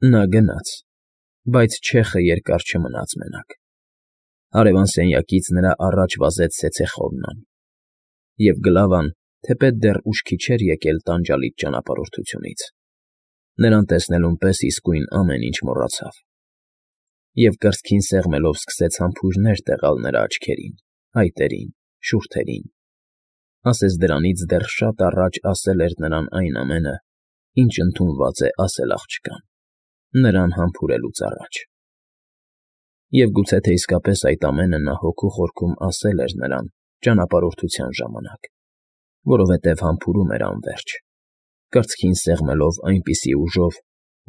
Նա գնաց, բայց չեխը երկար չմնաց մենակ. հարևան սենյակից նրա առաջ վազեց ցեցեխովնան, և Գլավան, թեպետ դեռ ուշքի չէր եկել տանջալից ճանապարհորդությունից, նրան տեսնելուն պես իսկույն ամեն ինչ մոռացավ, և կրծքին սեղմելով սկսեց համբույրներ տեղալ նրա աչքերին, փայտերին, շուրթերին, ասես դրանից դեռ շատ առաջ ասել էր նրան այն ամենը, ինչ ընդունված է ասել աղջկան, նրան համբուրելուց առաջ. և գուցե թե իսկապես այդ ամենը նա հոգու խորքում ասել էր նրան ճանապարհորդության ժամանակ, որովհետև համբուրում էր անվերջ, կրծքին սեղմելով այնպիսի ուժով,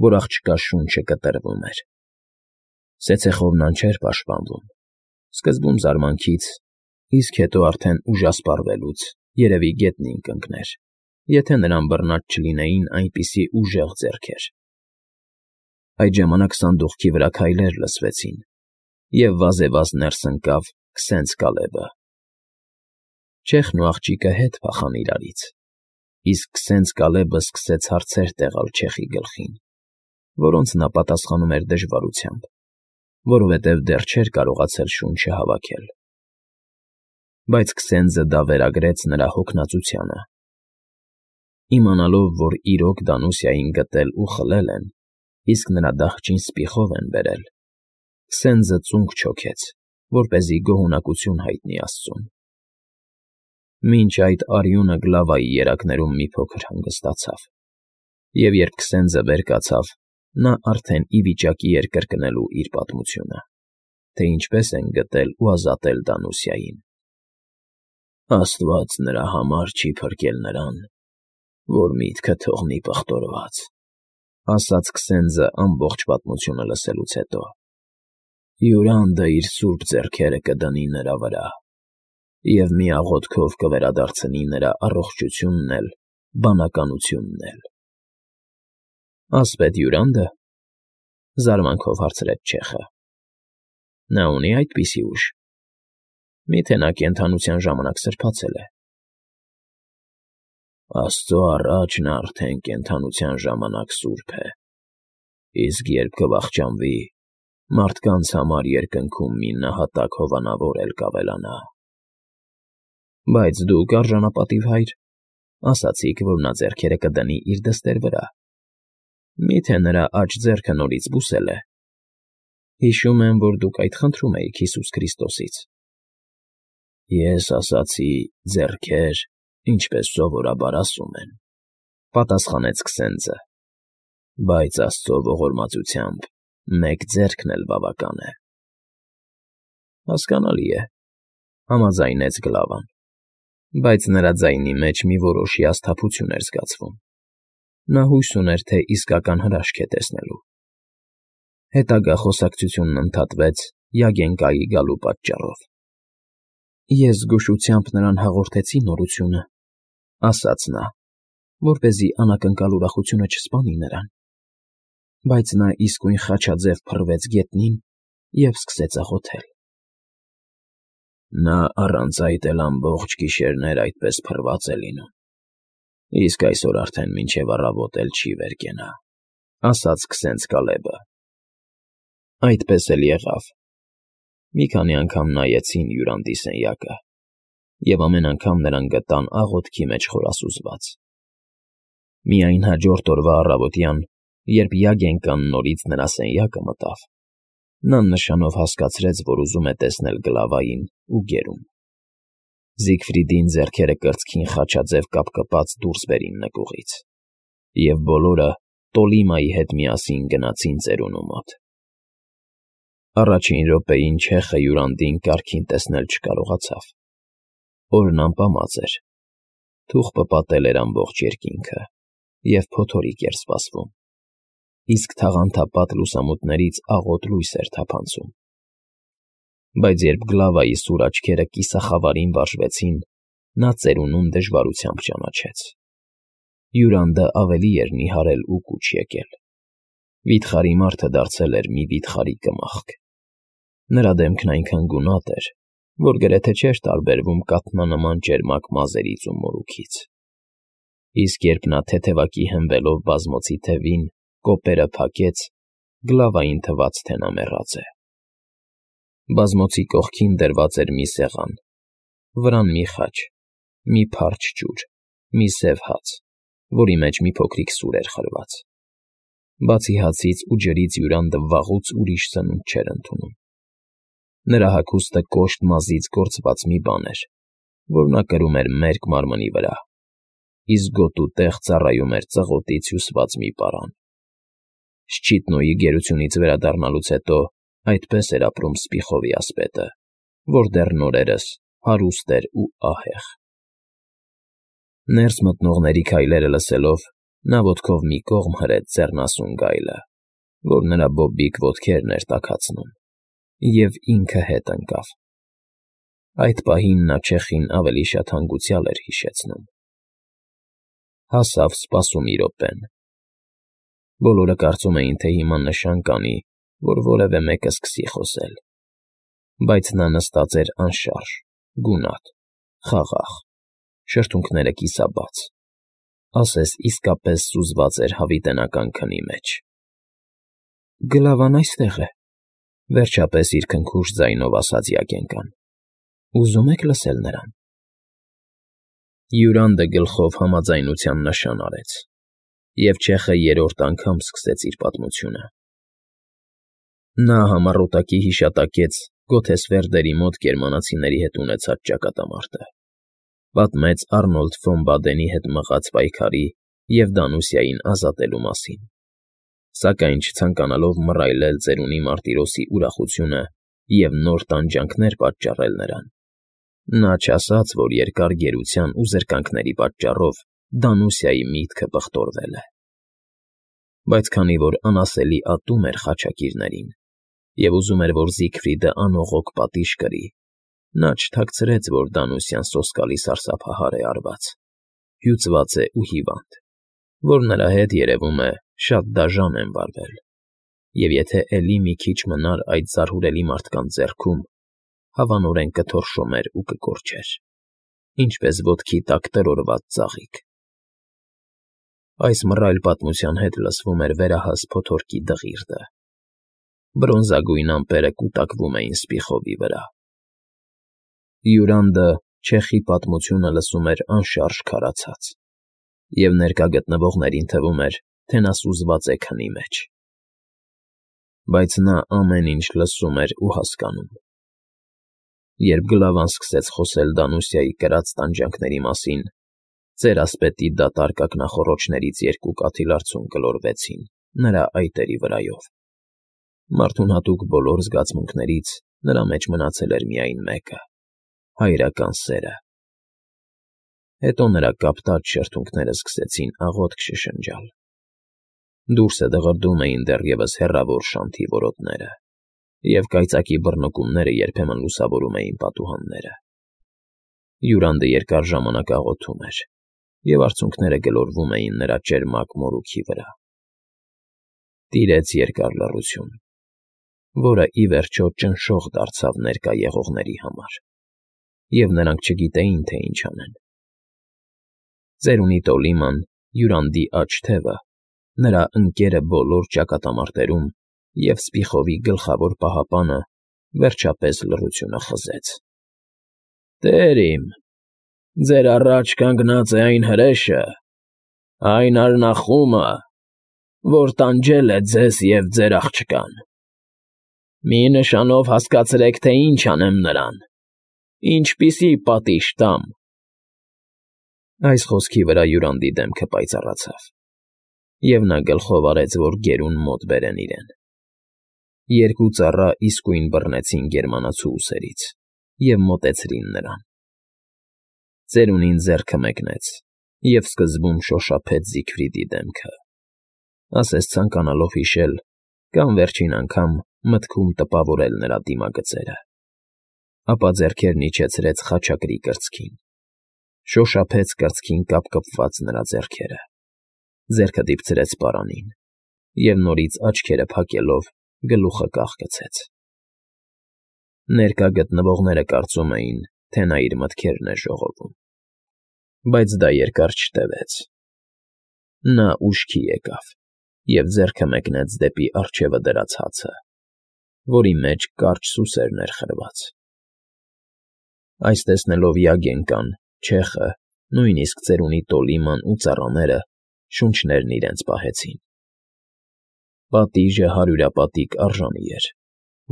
որ աղջկա շունչը կտրվում էր. Ցեցեխովնան չէր պաշտպանվում, սկզբում զարմանքից, իսկ հետո արդեն ուժասպառվելուց երևի գետնին կընկներ, եթե նրան բռնած չլինեին այնպիսի ուժեղ ձեռքեր։ Այդ ժամանակ սանդուղքի վրա քայլեր լսվեցին, և վազեվազ ներս ընկավ Քսենց Կալեբը։ Չեխն ու աղջիկը հետ փախան իրարից, իսկ Քսենց Կալեբը սկսեց հարցեր տեղալ չեխի գլխին, որոնց նա պատասխանում էր դժվարությամբ, որովհետև դեռ չէր կարողացել շունչը հավաքել։ Բայց Քսենձը դա վերագրեց նրա հոգնածությանը։ Իմանալով, որ իրոք Դանուսիային գտել ու խլել են, իսկ նրա դահճին սպիխով են բերել, Քսենձը ծունկ չոքեց, որպեսզի գոհունակություն հայտնի աստծուն։ Մինչ այդ արյունը Գլավայի երակներում մի փոքր հանգստացավ, և երբ Քսենձը վեր կացավ, նա արդեն ի վիճակի էր կրկնելու իր պատմությունը, թե ինչպես են գտել ու ազատել Դանուսիային։ Աստված նրա համար չի փրկել նրան, որ միտքը թողնի պղտորված, ասաց Քսենձը ամբողջ պատմությունը լսելուց հետո։ Յուրանդը իր սուրբ ձեռքերը կդնի նրա վրա և մի աղոթքով կվերադարձնի նրա առողջությունն էլ, բանականությունն էլ։ Ասպետ Յուրանդը, զարմանքով հարցրեց չեխը։ Նա ունի այդպիսի ուժ։ Միթե նա կենդանության ժամանակ սրբացել է։ Աստծո առաջ նա արդեն կենդանության ժամանակ սուրբ է, իսկ երբ կվախճանվի, մարդկանց համար երկնքում մի նահատակ հովանավոր էլ կավելանա։ Բայց դուք, արժանապատիվ հայր, ասացիք, որ նա ձեռքերը կդնի իր դստեր վրա։ Միթե նրա աջ ձեռքը նորից բուսել է։ Հիշում եմ, որ դուք այդ խնդրում էիք Հիսուս Քրիստոսից։ Ես ասացի ձեռքեր, ինչպես սովորաբար ասում են, պատասխանեց Քսենձը, բայց Աստծո ողորմածությամբ մեկ ձեռքն էլ բավական է։ Հասկանալի է, համաձայնեց Գլավան, բայց նրա ձայնի մեջ մի որոշ հիասթափություն էր զգացվում։ Նա հույս ուներ, թե իսկական հրաշք է տեսնելու։ Հետագա խոսակցությունն ընդհատվեց Յագենկայի գալու պատճառով։ Ես զգուշությամբ նրան հաղորդեցի նորությունը, ասաց նա, որպեսզի անակնկալ ուրախությունը չսպանի նրան, բայց նա իսկույն խաչաձև փռվեց գետնին և սկսեց աղոթել։ Նա առանց այդ էլ ամբողջ գիշերներ այդպես փռված է լինում, իսկ այսօր արդեն մինչև առավոտ էլ չի վեր կենա, ասաց Քսենց Կալեբը։ Այդպես էլ եղավ։ Մի քանի անգամ նայեցին Յուրանդի սենյակը, և ամեն անգամ նրան գտան աղոթքի մեջ խորասուզված։ Միայն հաջորդ օրվա առավոտյան, երբ Յագենկան նորից նրա սենյակը մտավ, նա նշանով հասկացրեց, որ ուզում է տեսնել Գլավային ու գերում։ Զիգֆրիդին ձեռքերը կրծքին խաչաձև կապկպած դուրս բերին նկուղից, և բոլորը Տոլիմայի հետ միասին գնացին ծերունու մոտ։ Առաջին րոպեին չեխը Յուրանդին կարգին տեսնել չկարողացավ։ Օրն ամպամած էր, թուղթը պատել էր ամբողջ երկինքը, և փոթորիկ էր սպասվում, իսկ թաղանթապատ լուսամուտներից աղոտ լույս էր թափանցում։ Բայց երբ Գլավայի սուր աչքերը կիսախավարին վարժվեցին, նա ծերունուն դժվարությամբ ճանաչեց։ Յուրանդը ավելի էր նիհարել ու կուչ եկել։ Վիթխարի մարդը դարձել էր մի վիթխարի կմախք։ Նրա դեմքն այնքան գունատ էր, որ գրեթե չէր տարբերվում կաթնանման ճերմակ մազերից ու մորուքից։ Իսկ երբ նա թեթևակի հենվելով բազմոցի թևին, կոպերը փակեց Գլավային թվաց, թե նա մեռած է։ Բազմոցի կողքին դրված էր մի սեղան, վրան մի խաչ, մի փարչ ջուր, մի սև հաց, որի մեջ մի փոքրիկ սուր էր խրված։ Բացի հացից ու ջրից Յուրանդը վաղուց ուրիշ սնունդ չէր ընդունում։ Նրա հագուստը կոշտ մազից գործված մի բան էր, որ նա կրում էր մերկ մարմնի վրա, իսկ գոտու տեղ ծառայում էր ծղոտից հյուսված մի պարան։ Շչիտնոյի գերությունից վերադառնալուց հետո այդպես էր ապրում Սպիխովի ասպետը, որ դեռ նորերս հարուստ էր ու ահեղ։ Ներս մտնողների քայլերը լսելով, նա ոտքով մի կողմ հրեց ձեռնասուն գայլը, որ նրա բոբիկ ոտքերն էր տաքացնում, և ինքը հետ ընկավ։ Այդ պահին նա չեխին ավելի շատ հանգուցյալ էր հիշեցնում։ Հասավ սպասումի րոպեն։ Բոլորը կարծում էին, թե հիմա նշան կանի, որ որևէ մեկը սկսի խոսել, բայց նա նստած էր անշարժ, գունատ, խաղաղ, շրթունքները կիսաբաց, ասես իսկապես սուզված էր հավիտենական քնի մեջ։ ֊ Գլավան այստեղ է,֊ վերջապես իր քնքուշ ձայնով ասաց Յագենկան։ Ուզում եք լսել նրան։ Յուրանդը գլխով համաձայնության նշան արեց, և չեխը երրորդ անգամ սկսեց իր պատմությունը։ Նա համառոտակի հիշատակեց Գոթեսվերդերի մոտ գերմանացիների հետ ունեցած ճակատամարտը, պատմեց Արնոլդ ֆոն Բադենի հետ մղած պայքարի և Դանուսիային ազատելու մասին, սակայն չցանկանալով մռայլել ծերունի Մարտիրոսի ուրախությունը և նոր տանջանքներ պատճառել նրան, նա չասաց, որ երկար գերության ու զրկանքների պատճառով Դանուսիայի միտքը բխտորվել է։ Բայց քանի որ անասելի ատում էր խաչակիրներին և ուզում էր, որ Զիգֆրիդը անողոք պատիժ կրի, նա չթաքցրեց, որ Դանուսիան սոսկալի սարսափահար է արված, հյուծված է ու հիվանդ, որ նրա հետ, երևում է, շատ դաժան են վարվել, և եթե էլի մի քիչ մնար այդ զարհուրելի մարդկանց ձեռքում, հավանորեն կթորշոմեր ու կկորչեր, ինչպես ոտքի տակ տրորված ծաղիկ։ Այս մռայլ պատմության հետ լսվում էր վերահաս փոթորկի դղիրդը։ Բրոնզագույն ամպերը կուտակվում էին Սպիխովի վրա։ Յուրանդը չեխի պատմությունը լսում էր անշարժ քարացած, և ներկա գտնվողներին թվում էր, թե նա սուզված է քնի մեջ։ Բայց նա ամեն ինչ լսում էր ու հասկանում։ Երբ Գլավան սկսեց խոսել Դանուսիայի կրած տանջանքների մասին, ծերասպետի դատարկ ակնախոռոչներից երկու կաթիլարցուն գլորվեցին նրա այտերի վրայով։ Մարդուն հատուկ բոլոր զգացմունքներից նրա մեջ մնացել էր միայն մեկը՝ հայրական սերը։ Հետո նրա կապտած շրթունքները սկսեցին աղոթք շշնջալ։ Դուրսը դղրդում էին դեռևս հեռավոր շանթի որոտները, և կայծակի բռնկումները երբեմն լուսավորում էին պատուհանները։ Յուրանդը երկար ժամանակ աղոթում էր, և արցունքները գլորվում էին նրա ճերմակ մորուքի վրա։ Տիրեց երկար լռություն, որը, ի վերջո, ճնշող դարձավ ներկա եղողների համար, և նրանք չգիտեին, թե ինչ անեն։ Ծերունի Տոլիման, Յուրանդի աջ թևը, նրա ընկերը բոլոր ճակատամարտերում և Սպիխովի գլխավոր պահապանը, վերջապես լռությունը խզեց։ ֊ Տեր իմ, ձեր առաջ կանգնած է այն հրեշը, այն արնախումը, որ տանջել է ձեզ և ձեր աղջկան. մի նշանով հասկացրեք, թե ինչ անեմ նրան, ինչպիսի պատիժ տամ։ Այս խոսքի վրա Յուրանդի դեմքը պայծառացավ, և նա գլխով արեց, որ գերուն մոտ բերեն իրեն։ Երկու ծառա իսկույն բռնեցին գերմանացու ուսերից և մոտեցրին նրան։ Ծերունին ձեռքը մեկնեց և սկզբում շոշափեց Զիգֆրիդի դեմքը, ասես ցանկանալով հիշել կամ վերջին անգամ մտքում տպավորել նրա դիմագծերը, ապա ձեռքերն իջեցրեց խաչակրի կրծքին, շոշափեց կրծքին կապկպված նրա ձեռքերը, ձեռքը դիպցրեց պարանին և նորից աչքերը փակելով գլուխը կախկցեց։ Ներկա գտնվողները կարծում էին, թե նա իր մտքերն է ժողովում, բայց դա երկար չտևեց։ Նա ուշքի եկավ և ձեռքը մեկնեց դեպի առջևը դրած հացը, որի մեջ կարճ սուսերն էր խրված։ Այս տեսնելով Յագենկան, չեխը, նույնիսկ ծերունի Տոլիման ու ծառաները շունչներն իրենց պահեցին։ Պատիժը հարյուրապատիկ արժանի էր,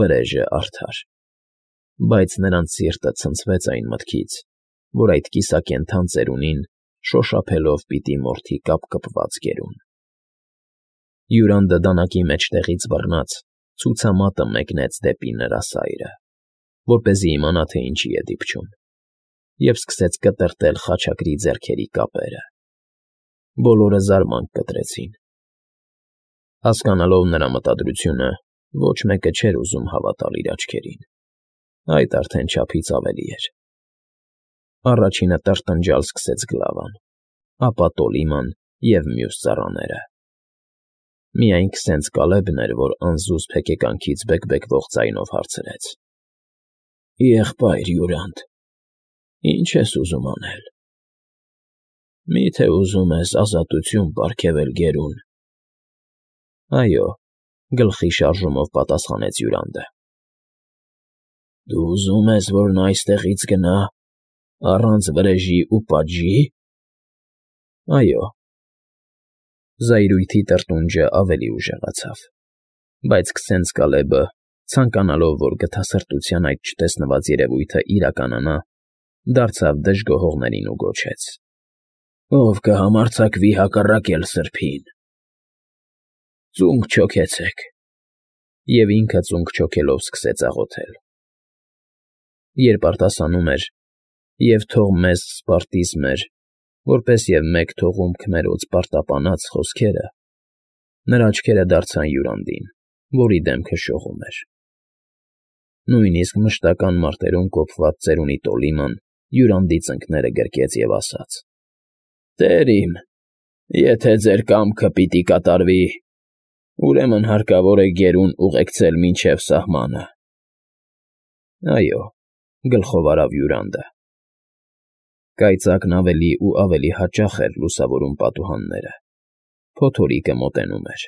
վրեժը արդար, բայց նրանց սիրտը ցնցվեց այն մտքից, որ այդ կիսակենդան ծերունին շոշափելով պիտի մորթի կապկպված գերուն։ Յուրանդը դանակի մեջտեղից բռնած ցուցամատը մեկնեց դեպի նրա սայրը, որպեսզի իմանա, թե ինչի է դիպչում, և սկսեց կտրտել խաչակրի ձեռքերի կապերը։ Բոլորը զարմանք կտրեցին։ Հասկանալով նրա մտադրությունը, ոչ մեկը չէր ուզում հավատալ իր աչքերին։ Այդ արդեն չափից ավելի էր։ Առաջինը տրտնջալ սկսեց Գլավան, ապա Տոլիման և մյուս ծառաները։ Միայն քսենց Կալեբն էր, որ անզուսպ հեկեկանքից բեկբեկվող ձայնով հարցրեց. «Եղբայր Յուրանդ, ի՞նչ ես ուզում անել»։ «Մի՞թե ուզում ես ազատություն պարգևել գերուն»։ «Այո», գլխի շարժումով պատասխանեց Յուրանդը։ «Դու ուզում ես, որ նա այստեղից գնա առանց վրեժի ու պատժի»։ «Այո»։ Զայրույթի տրտունջը ավելի ուժեղացավ, բայց քսենց Կալեբը, ցանկանալով, որ գթասրտության այդ չտեսնված երևույթը իրականանա, դարձավ դժգոհողներին ու գոչեց. «Ով կհամարձակվի հակառակել սրբին, ծունկ չոքեցեք»։ Եվ ինքը ծունկ չոքելով սկսեց աղոթել։ Երբ արտասանում էր. «Եվ թող մեզ Սպարտիս մեր, որպես և մեկ թողում քմերոց պարտապանած» խոսքերը, նրա աչքերը դարձան Յուրանդին, որի դեմքը շողում էր։ Նույնիսկ մշտական մարտերում կոփված ծերունի Տոլիման Յուրանդի ծնկները գրկեց և ասաց. «Տեր իմ, եթե ձեր կամքը պիտի կատարվի, ուրեմն հարկավոր է գերուն ուղեկցել մինչև սահմանը»։ «Այո», գլխով արավ Յուրանդը։ Կայծակն ավելի ու ավելի հաճախ էր լուսավորում պատուհանները, փոթորիկը մոտենում էր։